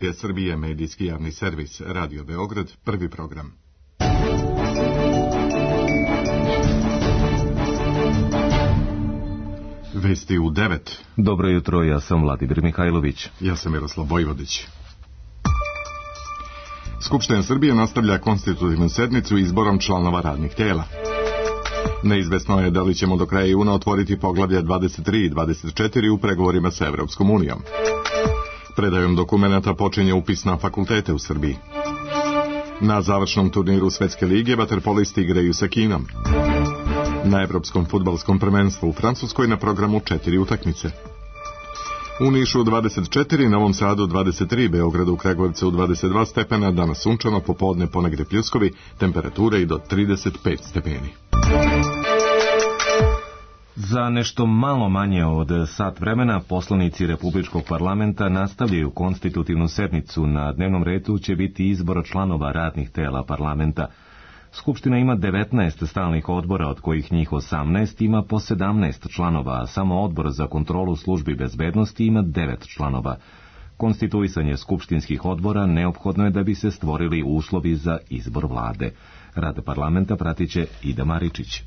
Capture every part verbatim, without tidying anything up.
je Srbije medijski javni servis, Radio Beograd, prvi program. Vesti u devet. Dobro jutro, ja sam Vladimir Mihajlović. Ja sam Miroslav Vojvodić. Skupština Srbije nastavlja konstitutivnu sednicu izborom članova radnih tela. Neizvesno je da li ćemo do kraja juna otvoriti poglavlja dvadeset tri i dvadeset četiri u pregovorima sa Evropskom unijom. Predajom dokumenata počinje upis na fakultete u Srbiji. Na završnom turniru Svetske lige vaterpolisti igraju sa Kinom. Na Evropskom fudbalskom prvenstvu u Francuskoj na programu četiri utakmice. U Nišu dvadeset četiri, Novom Sadu dvadeset tri, Beogradu, Kragujevcu dvadeset dva stepena, danas sunčano, popodne ponegde pljuskovi, temperature i do trideset pet stepeni. Za nešto malo manje od sat vremena poslanici Republičkog parlamenta nastavljaju konstitutivnu sednicu. Na dnevnom redu će biti izbor članova radnih tela parlamenta. Skupština ima devetnaest stalnih odbora, od kojih njih osamnaest ima po sedamnaest članova, a samo odbor za kontrolu službi bezbednosti ima devet članova. Konstituisanje skupštinskih odbora neophodno je da bi se stvorili uslovi za izbor vlade. Rad parlamenta pratiće Ida Maričić.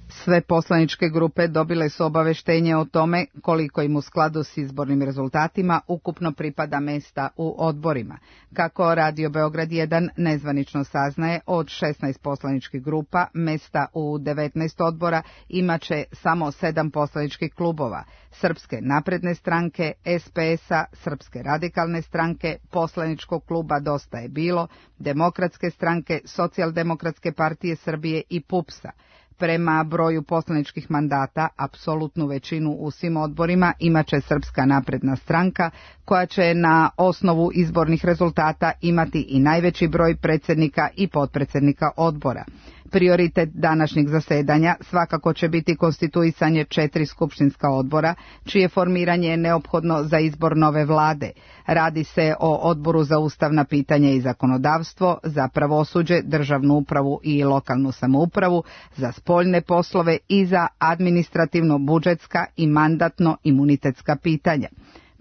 Sve poslaničke grupe dobile su obaveštenje o tome koliko im u skladu s izbornim rezultatima ukupno pripada mesta u odborima. Kako Radio Beograd jedan nezvanično saznaje, od šesnaest poslaničkih grupa mesta u devetnaest odbora imaće samo sedam poslaničkih klubova: Srpske napredne stranke, S P S-a, Srpske radikalne stranke, poslaničkog kluba Dosta je bilo, Demokratske stranke, Socijaldemokratske partije Srbije i P U P S-a. Prema broju poslaničkih mandata, apsolutnu većinu u svim odborima imaće Srpska napredna stranka, koja će na osnovu izbornih rezultata imati i najveći broj predsjednika i potpredsjednika odbora. Prioritet današnjeg zasedanja svakako će biti konstituisanje četiri skupštinska odbora, čije formiranje je neophodno za izbor nove vlade. Radi se o odboru za ustavna pitanja i zakonodavstvo, za pravosuđe, državnu upravu i lokalnu samoupravu, za spoljne poslove i za administrativno-budžetska i mandatno-imunitetska pitanja.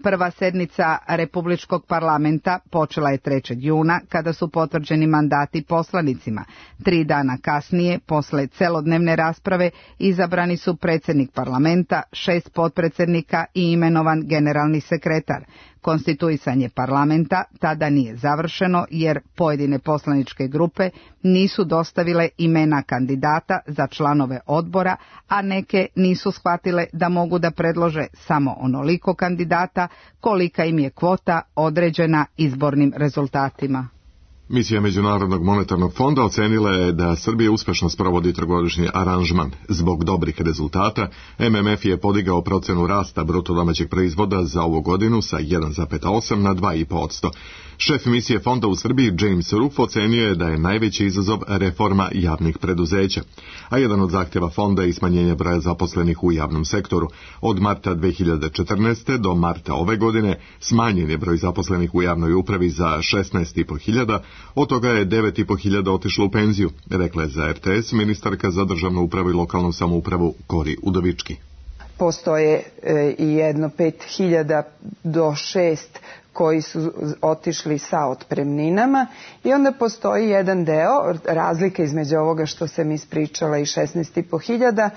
Prva sednica Republičkog parlamenta počela je trećeg juna, kada su potvrđeni mandati poslanicima. Tri dana kasnije, posle celodnevne rasprave, izabrani su predsjednik parlamenta, šest potpredsjednika i imenovan generalni sekretar. Konstituisanje parlamenta tada nije završeno, jer pojedine poslaničke grupe nisu dostavile imena kandidata za članove odbora, a neke nisu shvatile da mogu da predlože samo onoliko kandidata kolika im je kvota određena izbornim rezultatima. Misija Međunarodnog monetarnog fonda ocenila je da Srbija uspešno sprovodi trogodišnji aranžman. Zbog dobrih rezultata, M M F je podigao procenu rasta bruto domaćeg proizvoda za ovu godinu sa jedan zarez osam na dva zarez pet posto. Šef misije fonda u Srbiji, James Ruff, ocenio je da je najveći izazov reforma javnih preduzeća, a jedan od zahtjeva fonda je smanjenje broja zaposlenih u javnom sektoru. Od marta dve hiljade četrnaeste. do marta ove godine smanjen je broj zaposlenih u javnoj upravi za šesnaest i po hiljada, od toga je devet i po hiljada otišlo u penziju, rekla je za R T S ministarka za državnu upravu i lokalnu samoupravu Kori Udovički. Postoje e, i jedno pet hiljada do šest koji su otišli sa otpremninama i onda postoji jedan deo, razlika između ovoga što sam ispričala i šesnaest i po hiljada,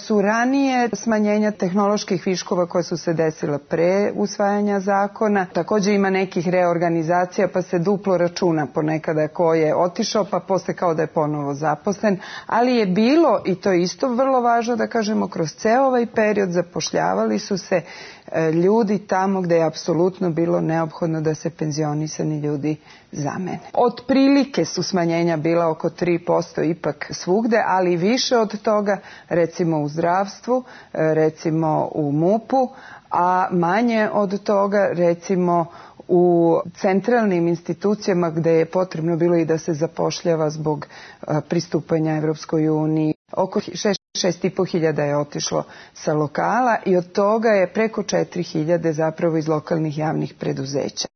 su ranije smanjenja tehnoloških viškova koje su se desila pre usvajanja zakona. Također ima nekih reorganizacija pa se duplo računa ponekada ko je otišao pa posle kao da je ponovo zaposlen, ali je bilo, i to je isto vrlo važno da kažemo, kroz ceo ovaj period zapošljavali su se ljudi tamo gde je apsolutno bilo neophodno da se penzionisani ljudi zamene. Otprilike su smanjenja bila oko tri posto ipak svugde, ali više od toga recimo u zdravstvu, recimo u M U P-u, a manje od toga recimo u centralnim institucijama gde je potrebno bilo i da se zapošljava zbog pristupanja Evropskoj uniji. Oko šest i po hiljada je otišlo sa lokala i od toga je preko četiri hiljade zapravo iz lokalnih javnih preduzeća.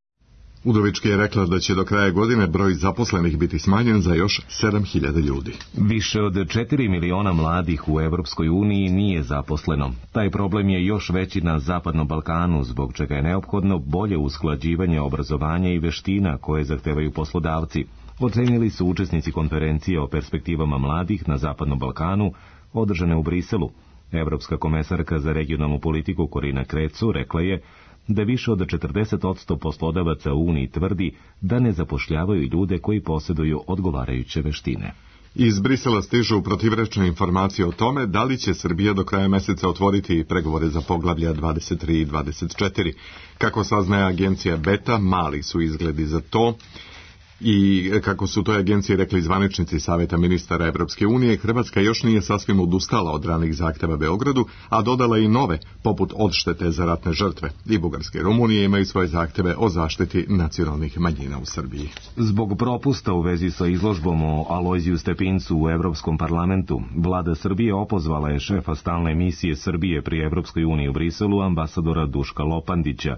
Udovički je rekla da će do kraja godine broj zaposlenih biti smanjen za još sedam hiljada ljudi. Više od četiri miliona mladih u Evropskoj uniji nije zaposleno. Taj problem je još veći na Zapadnom Balkanu, zbog čega je neophodno bolje usklađivanje obrazovanja i veština koje zahtevaju poslodavci, ocenili su učesnici konferencije o perspektivama mladih na Zapadnom Balkanu, održane u Briselu. Evropska komesarka za regionalnu politiku Korina Krecu rekla je da više od četrdeset posto poslodavaca u Uniji tvrdi da ne zapošljavaju ljude koji posjeduju odgovarajuće veštine. Iz Brisela stižu protivrečne informacije o tome da li će Srbija do kraja meseca otvoriti pregovore za poglavlja dvadeset tri i dvadeset četiri. Kako saznaje agencija Beta, mali su izgledi za to. I kako su toj agenciji rekli zvaničnici Saveta ministara Evropske unije, Hrvatska još nije sasvim odustala od ranih zahteva Beogradu, a dodala i nove, poput odštete za ratne žrtve. I Bugarske i Rumunije imaju svoje zahteve o zaštiti nacionalnih manjina u Srbiji. Zbog propusta u vezi sa izložbom o Alojziju Stepincu u Evropskom parlamentu, vlada Srbije opozvala je šefa stalne misije Srbije pri Evropskoj uniji u Briselu, ambasadora Duška Lopandića.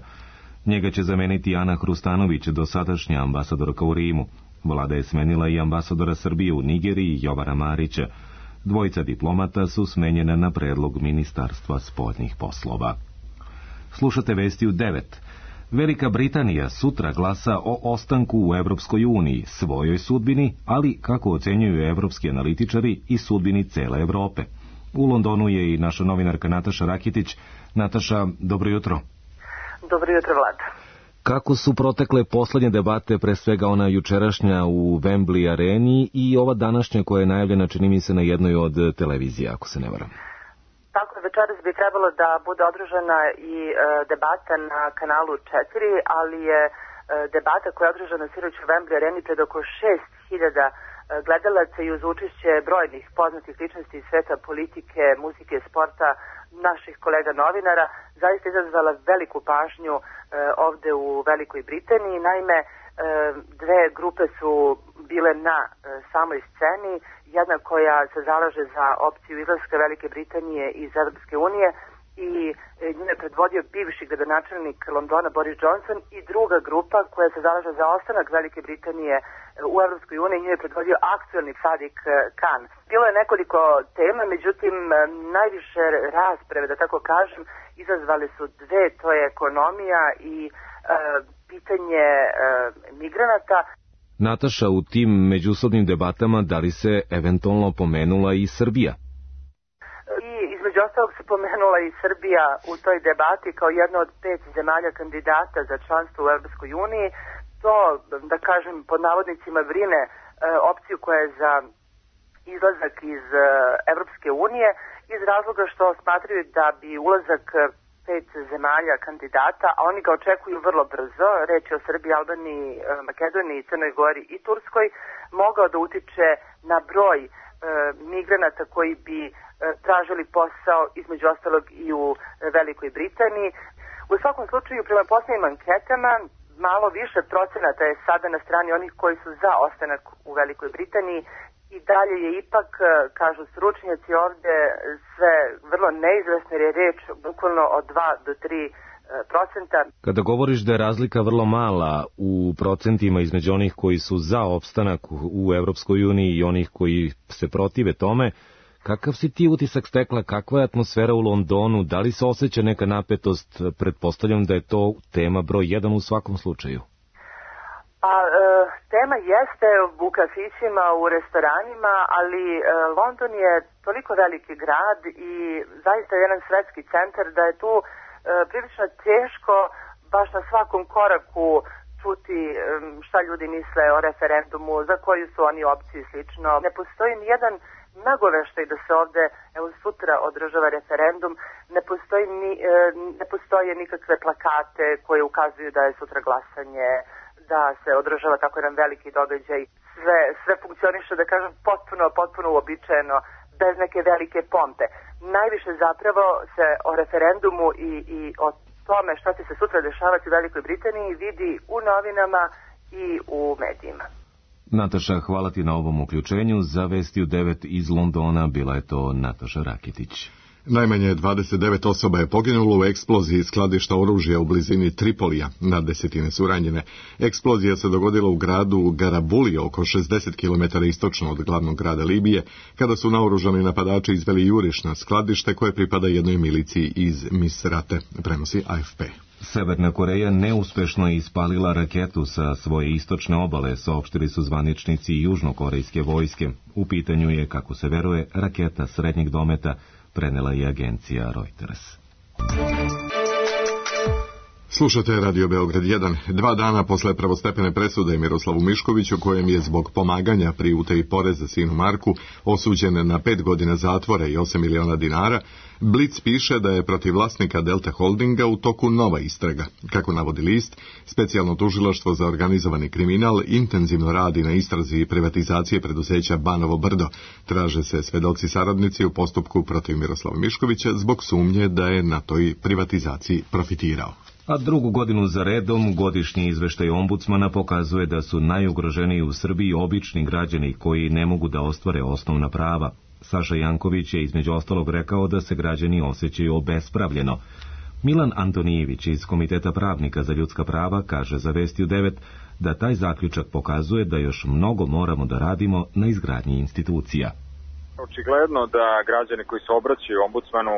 Njega će zameniti Ana Hrustanović, dosadašnja ambasadorka u Rimu. Vlada je smenila i ambasadora Srbije u Nigeriji, Jovana Marića. Dvojica diplomata su smenjena na predlog Ministarstva spoljnih poslova. Slušate vesti u devet. Velika Britanija sutra glasa o ostanku u Evropskoj uniji, svojoj sudbini, ali, kako ocenjuju evropski analitičari, i sudbini cele Evrope. U Londonu je i naša novinarka Nataša Rakitić. Nataša, dobro jutro. Dobro jutro, Vlada. Kako su protekle poslednje debate, pre svega ona jučerašnja u Wembley areni i ova današnja koja je najavljena, čini mi se, na jednoj od televizija, ako se ne varam? Tako, večeras bi trebalo da bude održana i e, debata na kanalu četiri, ali je e, debata koja je održana sinoć u Wembley areni pred oko šest hiljada gledalaca i uz učešće brojnih poznatih ličnosti iz sveta politike, muzike, sporta, naših kolega novinara, zaista izazvala veliku pažnju e, ovde u Velikoj Britaniji. Naime, e, dve grupe su bile na e, samoj sceni, jedna koja se zalaže za opciju izlaska Velike Britanije iz Evropske unije i e, nju je predvodio bivši gradonačelnik Londona Boris Johnson, i druga grupa koja se zalaže za ostanak Velike Britanije u Evropskoj uniji, nju je predvodio aktuelni Sadiq Khan. Bilo je nekoliko tema, međutim najviše rasprave, da tako kažem, izazvali su dve, to je ekonomija i e, pitanje e, migranata. Nataša, u tim međusobnim debatama da li se eventualno pomenula i Srbija? I između ostalog se pomenula i Srbija u toj debati kao jedna od pet zemalja kandidata za članstvo u Evropskoj uniji. To, da kažem, pod navodnicima brine e, opciju koja je za izlazak iz e, Evropske unije, iz razloga što smatraju da bi ulazak pet zemalja kandidata, a oni ga očekuju vrlo brzo, reč je o Srbiji, Albaniji, e, Makedoniji, Crnoj Gori i Turskoj, mogao da utiče na broj e, migranata koji bi e, tražili posao, između ostalog i u e, Velikoj Britaniji. U svakom slučaju, prema posljednjim anketama, malo više procenata je sada na strani onih koji su za ostanak u Velikoj Britaniji, i dalje je ipak, kažu stručnjaci ovde, sve vrlo neizvesno, jer je reč bukvalno od dva do tri procenta. Kada govoriš da je razlika vrlo mala u procentima između onih koji su za opstanak u Evropskoj uniji i onih koji se protive tome, kakav si ti utisak stekla, kakva je atmosfera u Londonu, da li se osjeća neka napetost? Pretpostavljam da je to tema broj jedan u svakom slučaju. Pa, e, tema jeste u kafićima, u restoranima, ali e, London je toliko veliki grad i zaista jedan svetski centar da je tu e, prilično teško baš na svakom koraku čuti e, šta ljudi misle o referendumu, za koju su oni opciju i slično. Ne postoji nijedan nagoveštaj da se ovde, evo sutra, održava referendum, ne postoji ni, e, ne postoje nikakve plakate koje ukazuju da je sutra glasanje, da se održava tako jedan veliki događaj. Sve, sve funkcioniše, da kažem, potpuno, potpuno uobičajeno, bez neke velike pompe. Najviše zapravo se o referendumu i, i o tome šta će se sutra dešavati u Velikoj Britaniji vidi u novinama i u medijima. Nataša, hvala ti na ovom uključenju. Za Vesti u devet iz Londona bila je to Nataša Rakitić. Najmanje dvadeset devet osoba je poginulo u eksploziji skladišta oružja u blizini Tripolija, na desetine su ranjene. Eksplozija se dogodila u gradu Garabulije, oko šezdeset kilometara istočno od glavnog grada Libije, kada su naoružani napadači izveli juriš na skladište koje pripada jednoj miliciji iz Misrate, prenosi A F P. Severna Koreja neuspešno je ispalila raketu sa svoje istočne obale, saopštili su zvaničnici južnokorejske vojske. U pitanju je, kako se veruje, raketa srednjeg dometa, prenela je agencija Reuters. Slušate Radio Beograd jedan. Dva dana posle prvostepene presude Miroslavu Miškoviću, kojem je zbog pomaganja pri utaji poreza sinu Marku osuđen na pet godina zatvora i osam miliona dinara, Blic piše da je protiv vlasnika Delta Holdinga u toku nova istraga. Kako navodi list, specijalno tužilaštvo za organizovani kriminal intenzivno radi na istrazi privatizacije preduzeća Banovo Brdo. Traže se svedoci saradnici u postupku protiv Miroslava Miškovića zbog sumnje da je na toj privatizaciji profitirao. A drugu godinu za redom godišnji izveštaj ombudsmana pokazuje da su najugroženiji u Srbiji obični građani koji ne mogu da ostvare osnovna prava. Saša Janković je između ostalog rekao da se građani osjećaju obespravljeno. Milan Antonijević iz Komiteta pravnika za ljudska prava kaže za Vesti u devet da taj zaključak pokazuje da još mnogo moramo da radimo na izgradnji institucija. Očigledno da građani koji se obraćaju ombudsmanu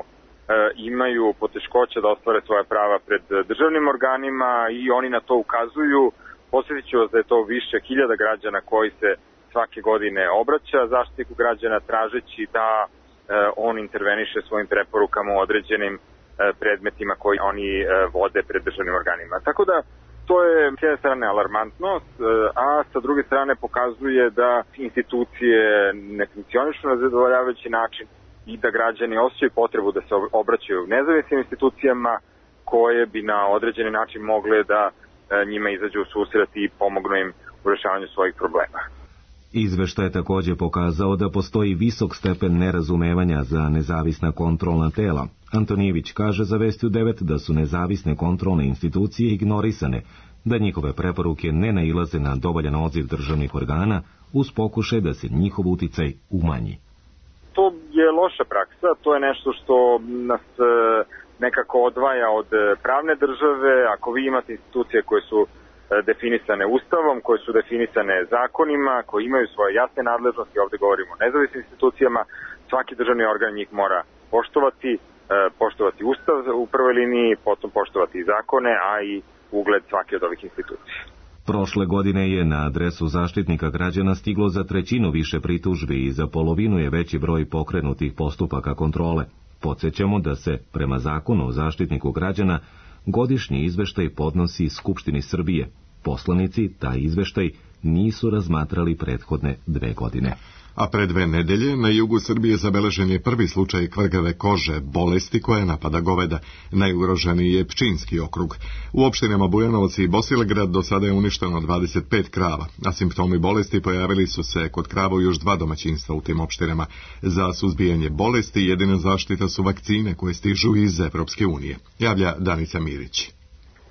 imaju poteškoće da ostvare svoje prava pred državnim organima i oni na to ukazuju. Posjetit ću vas da je to više hiljada građana koji se svake godine obraća Zaštitniku građana tražeći da on interveniše svojim preporukama u određenim predmetima koji oni vode pred državnim organima. Tako da to je s jedne strane alarmantnost, a sa druge strane pokazuje da institucije ne funkcionišu na zadovoljavajući način i da građani osjećaju potrebu da se obraćaju nezavisnim institucijama koje bi na određeni način mogle da njima izađu u susret i pomognu im u rešavanju svojih problema. Izveštaj je također pokazao da postoji visok stepen nerazumevanja za nezavisna kontrolna tela. Antonijević kaže za Vesti u devet da su nezavisne kontrolne institucije ignorisane, da njihove preporuke ne nailaze na dovoljan odziv državnih organa uz pokušaj da se njihov uticaj umanji. To je loša praksa, to je nešto što nas nekako odvaja od pravne države. Ako vi imate institucije koje su definisane ustavom, koje su definisane zakonima, koje imaju svoje jasne nadležnosti, ovdje govorimo o nezavisnim institucijama, svaki državni organ njih mora poštovati, poštovati ustav u prvoj liniji, potom poštovati i zakone, a i ugled svake od ovih institucija. Prošle godine je na adresu Zaštitnika građana stiglo za trećinu više pritužbi i za polovinu je veći broj pokrenutih postupaka kontrole. Podsjećamo da se, prema zakonu o Zaštitniku građana, godišnji izveštaj podnosi Skupštini Srbije. Poslanici taj izveštaj nisu razmatrali prethodne dve godine. A pre dve nedelje na jugu Srbije zabeležen je prvi slučaj kvrgave kože, bolesti koja napada goveda. Najugroženiji je Pčinjski okrug. U opštinama Bujanovac i Bosilegrad do sada je uništeno dvadeset pet krava, a simptomi bolesti pojavili su se kod krava još dva domaćinstva u tim opštinama. Za suzbijanje bolesti jedina zaštita su vakcine koje stižu iz Evropske unije. Javlja Danica Mirić.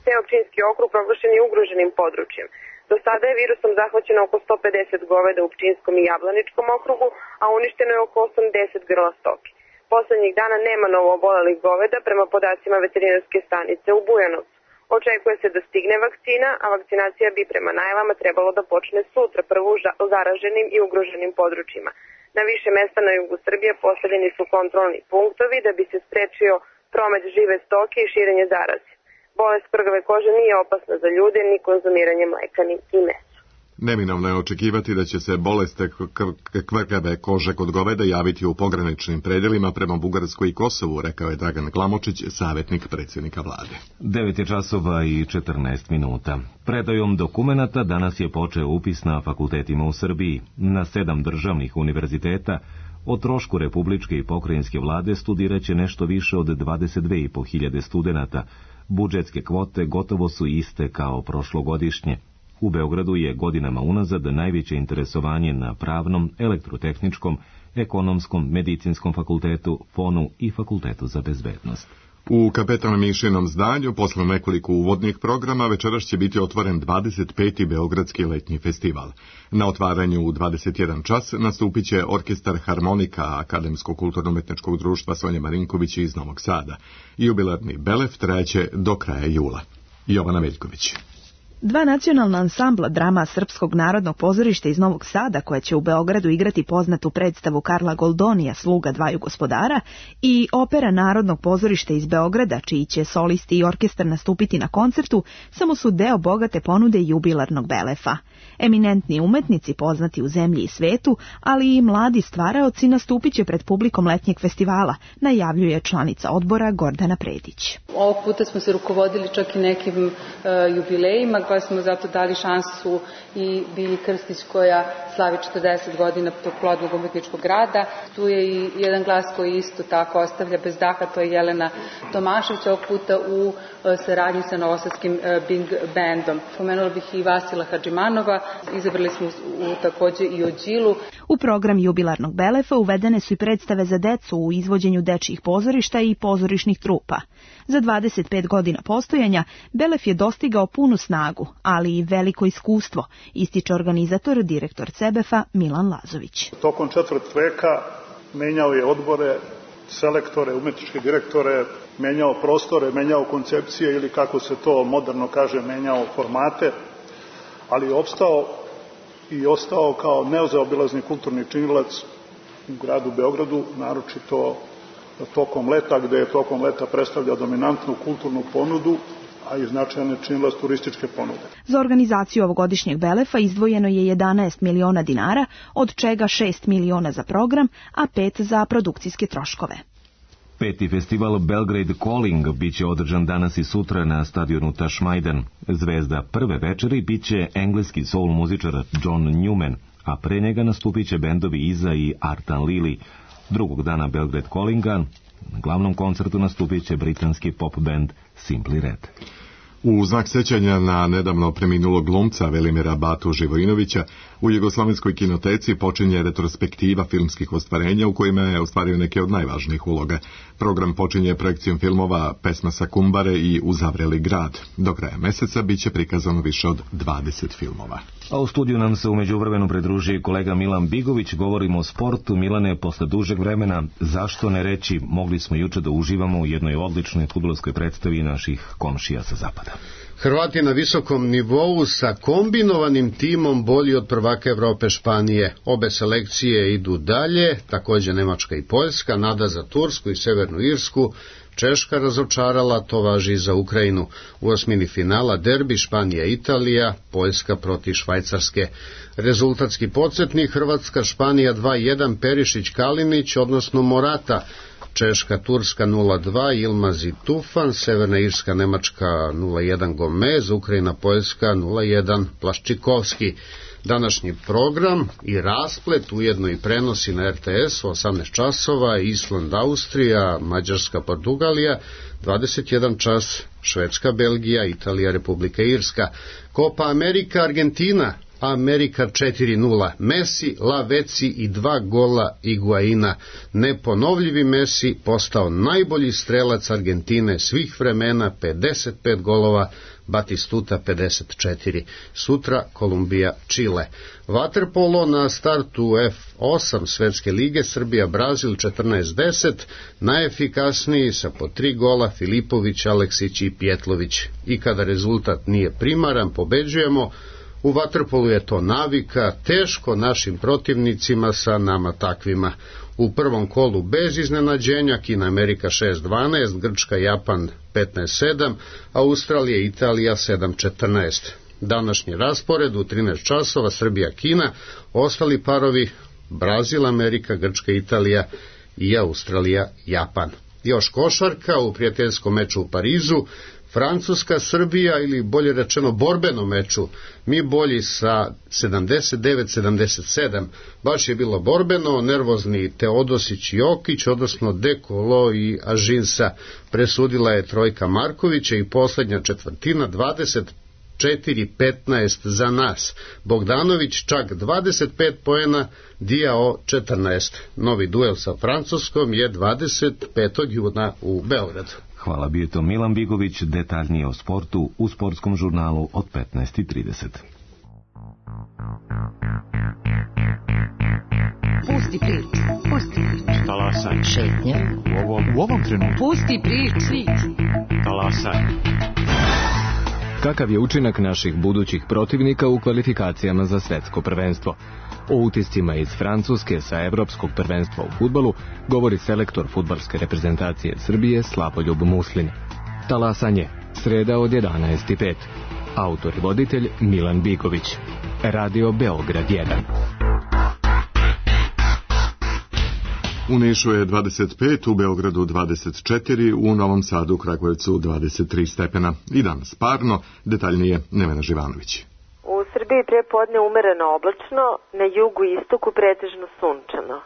Ceo Pčinjski okrug proglašen je ugroženim područjem. Do sada je virusom zahvaćeno oko sto pedeset goveda u Pčinjskom i Jablaničkom okrugu, a uništeno je oko osamdeset grla stoke. Poslednjih dana nema novoobolelih goveda prema podacima veterinarske stanice u Bujanovcu. Očekuje se da stigne vakcina, a vakcinacija bi prema najavama trebalo da počne sutra prvo u zaraženim i ugroženim područjima. Na više mesta na jugu Srbije postavljeni su kontrolni punktovi da bi se sprečio promet žive stoke i širenje zaraze. Bolest kvrgave kože nije opasna za ljude ni konzumiranje mleka ni mesa. Neminovno je očekivati da će se bolest kvrgave kože kod goveda javiti u pograničnim predelima prema Bugarskoj i Kosovu, rekao je Dragan Glamočić, savjetnik predsjednika vlade. devet je časova i četrnaest minuta. Predajom dokumenata danas je počeo upis na fakultetima u Srbiji. Na sedam državnih univerziteta o trošku republičke i pokrajinske vlade studiraće nešto više od dvadeset dve i po hiljade studenata. Budžetske kvote gotovo su iste kao prošlogodišnje. U Beogradu je godinama unazad najveće interesovanje na pravnom, elektrotehničkom, ekonomskom, medicinskom fakultetu, Fonu i fakultetu za bezbednost. U Kapetan Mišinom zdanju, posle nekoliko uvodnih programa, večeras će biti otvoren dvadeset peti Beogradski letnji festival. Na otvaranju u dvadeset jedan čas nastupit će orkestar Harmonika Akademskog kulturno-umetničkog društva Sonje Marinković iz Novog Sada. Jubilarni Belef trajeće do kraja jula. Jovana Veljković. Dva nacionalna ansambla drama Srpskog narodnog pozorišta iz Novog Sada, koja će u Beogradu igrati poznatu predstavu Karla Goldonija Sluga dvaju gospodara, i opera Narodnog pozorišta iz Beograda, čiji će solisti i orkestar nastupiti na koncertu, samo su deo bogate ponude jubilarnog Belefa. Eminentni umetnici poznati u zemlji i svetu, ali i mladi stvaraoci nastupit će pred publikom letnjeg festivala, najavljuje članica odbora Gordana Predić. Ovog puta smo se rukovodili čak i nekim uh, jubilejima, pa smo zato dali šansu i Bilji Krstić koja slavi četrdeset godina tog plodnog umetničkog rada. Tu je i jedan glas koji isto tako ostavlja bez daha, to je Jelena Tomašević, ovog puta u uh, saradnji sa Novosadskim uh, Big Bandom. Pomenula bih i Vasila Hadžimanova, izabrali smo u, takođe i Ođilu. U program jubilarnog Belefa uvedene su i predstave za decu u izvođenju dečjih pozorišta i pozorišnih trupa. Za dvadeset pet godina postojanja Belef je dostigao punu snagu, ali i veliko iskustvo, ističe organizator, direktor Cebefa Milan Lazović. Tokom četvrt veka menjao je odbore, selektore, umetničke direktore, menjao prostore, menjao koncepcije ili kako se to moderno kaže, menjao formate, ali je opstao i ostao kao nezaobilazni kulturni činilac u gradu Beogradu, naročito tokom leta, gde je tokom leta predstavlja dominantnu kulturnu ponudu, a i značajne činilac turističke ponude. Za organizaciju ovogodišnjeg Belefa izdvojeno je jedanaest miliona dinara, od čega šest miliona za program, a pet za produkcijske troškove. Peti festival Belgrade Calling biće održan danas i sutra na stadionu Tašmajdan. Zvezda prve večeri biće engleski soul muzičar John Newman, a pre njega nastupit će bendovi Iza i Artan Lili. Drugog dana Belgrade Callinga na glavnom koncertu nastupit će britanski pop band Simply Red. U znak sećanja na nedavno preminulog glumca Velimira Batu Živojinovića, u Jugoslovenskoj kinoteci počinje retrospektiva filmskih ostvarenja u kojima je ostvario neke od najvažnijih uloga. Program počinje projekcijom filmova Pesma sa Kumbare i Uzavreli grad. Do kraja meseca biće prikazano više od dvadeset filmova. A u studiju nam se u međuvremenu pridruži kolega Milan Bigović. Govorimo o sportu. Milane, posle dužeg vremena, zašto ne reći, mogli smo juče da uživamo u jednoj odličnoj fudbalskoj predstavi naših komšija sa zapada. Hrvati na visokom nivou sa kombinovanim timom bolji od prvaka Evrope Španije. Obe selekcije idu dalje, također Nemačka i Poljska, nada za Tursku i Severnu Irsku. Češka razočarala, to važi i za Ukrajinu. U osmini finala derbi Španija-Italija, Poljska protiv Švajcarske. Rezultatski podsjetnik Hrvatska Španija dva jedan, Perišić-Kalinić, odnosno Morata. Češka, Turska nula dva, Ilmaz i Tufan, Severna Irska, Nemačka nula jedan, Gomez, Ukrajina, Poljska nula jedan, Plaščikovski. Današnji program i rasplet ujedno i prenosi na R T S u osamnaest časova, Island, Austrija, Mađarska, Portugalija, dvadeset jedan čas, Švedska, Belgija, Italija, Republika Irska. Copa Amerika, Argentina, Amerika četiri nula, Messi, Laveci i dva gola Iguaina. Neponovljivi Messi postao najbolji strelac Argentine svih vremena, pedeset pet golova, Batistuta pedeset četiri. Sutra Kolumbija, Čile. Vaterpolo na startu F osam Svetske lige, Srbija, Brazil četrnaest deset, najefikasniji sa po tri gola Filipović, Aleksić i Pjetlović. I kada rezultat nije primaran, pobeđujemo. U vaterpolu je to navika, teško našim protivnicima sa nama takvima. U prvom kolu bez iznenađenja Kina Amerika šest dvanaest, Grčka Japan petnaest sedam, Australija i Italija sedam četrnaest. Današnji raspored u trinaest časova Srbija Kina, ostali parovi Brazil Amerika, Grčka Italija i Australija Japan. Još košarka u prijateljskom meču u Parizu, Francuska, Srbija ili bolje rečeno borbeno meču, mi bolji sa sedamdeset devet sedamdeset sedam, baš je bilo borbeno, nervozni Teodosić i Jokić, odnosno Dekolo i Ažinsa, presudila je trojka Markovića i posljednja četvrtina dvadeset četiri petnaest za nas. Bogdanović čak dvadeset pet poena, Diao četrnaest. Novi duel sa Francuskom je dvadeset petog juna u Beogradu. Hvala, bio je to Milan Bigović, detaljnije o sportu u sportskom žurnalu od petnaest i trideset. Pusti prič, pusti prič. Talasaj. Šetnja. U ovom, u ovom trenutku. Pusti prič. Talasaj. Kakav je učinak naših budućih protivnika u kvalifikacijama za svetsko prvenstvo? O utiscima iz Francuske sa evropskog prvenstva u fudbalu govori selektor fudbalske reprezentacije Srbije Slavoljub Muslin. Talasanje, sreda od jedanaest i pet. Autor i voditelj Milan Bigović. Radio Beograd jedan. U Nišu je dvadeset pet, u Beogradu dvadeset četiri, u Novom Sadu, Kragujevcu dvadeset tri stepena. I danas parno, detaljnije Nevena Živanović. U Srbiji prepodne umereno oblačno, na jugu i istoku pretežno sunčano.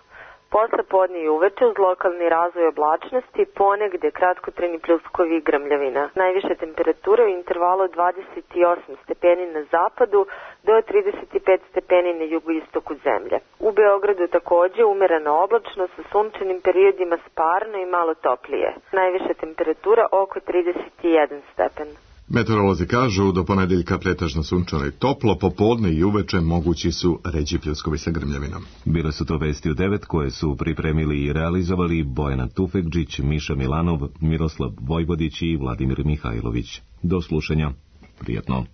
Posle podne i uveče uz lokalni razvoj oblačnosti, ponegde kratkotrajni pljuskovi i grmljavina. Najviše temperature u intervalu od dvadeset osam stepeni na zapadu do trideset pet stepeni na jugoistoku zemlje. U Beogradu takođe umereno oblačno sa sunčanim periodima sparno i malo toplije. Najviša temperatura oko trideset jedan stepen. Meteorolozi kažu do ponedeljka pretežno sunčano i toplo, popodne i uveče mogući su ređi pljuskovi sa grmljavinom. Bile su to vesti u devet koje su pripremili i realizovali Bojana Tufekđić, Miša Milanov, Miroslav Vojvodić i Vladimir Mihajlović. Do slušanja. Prijatno.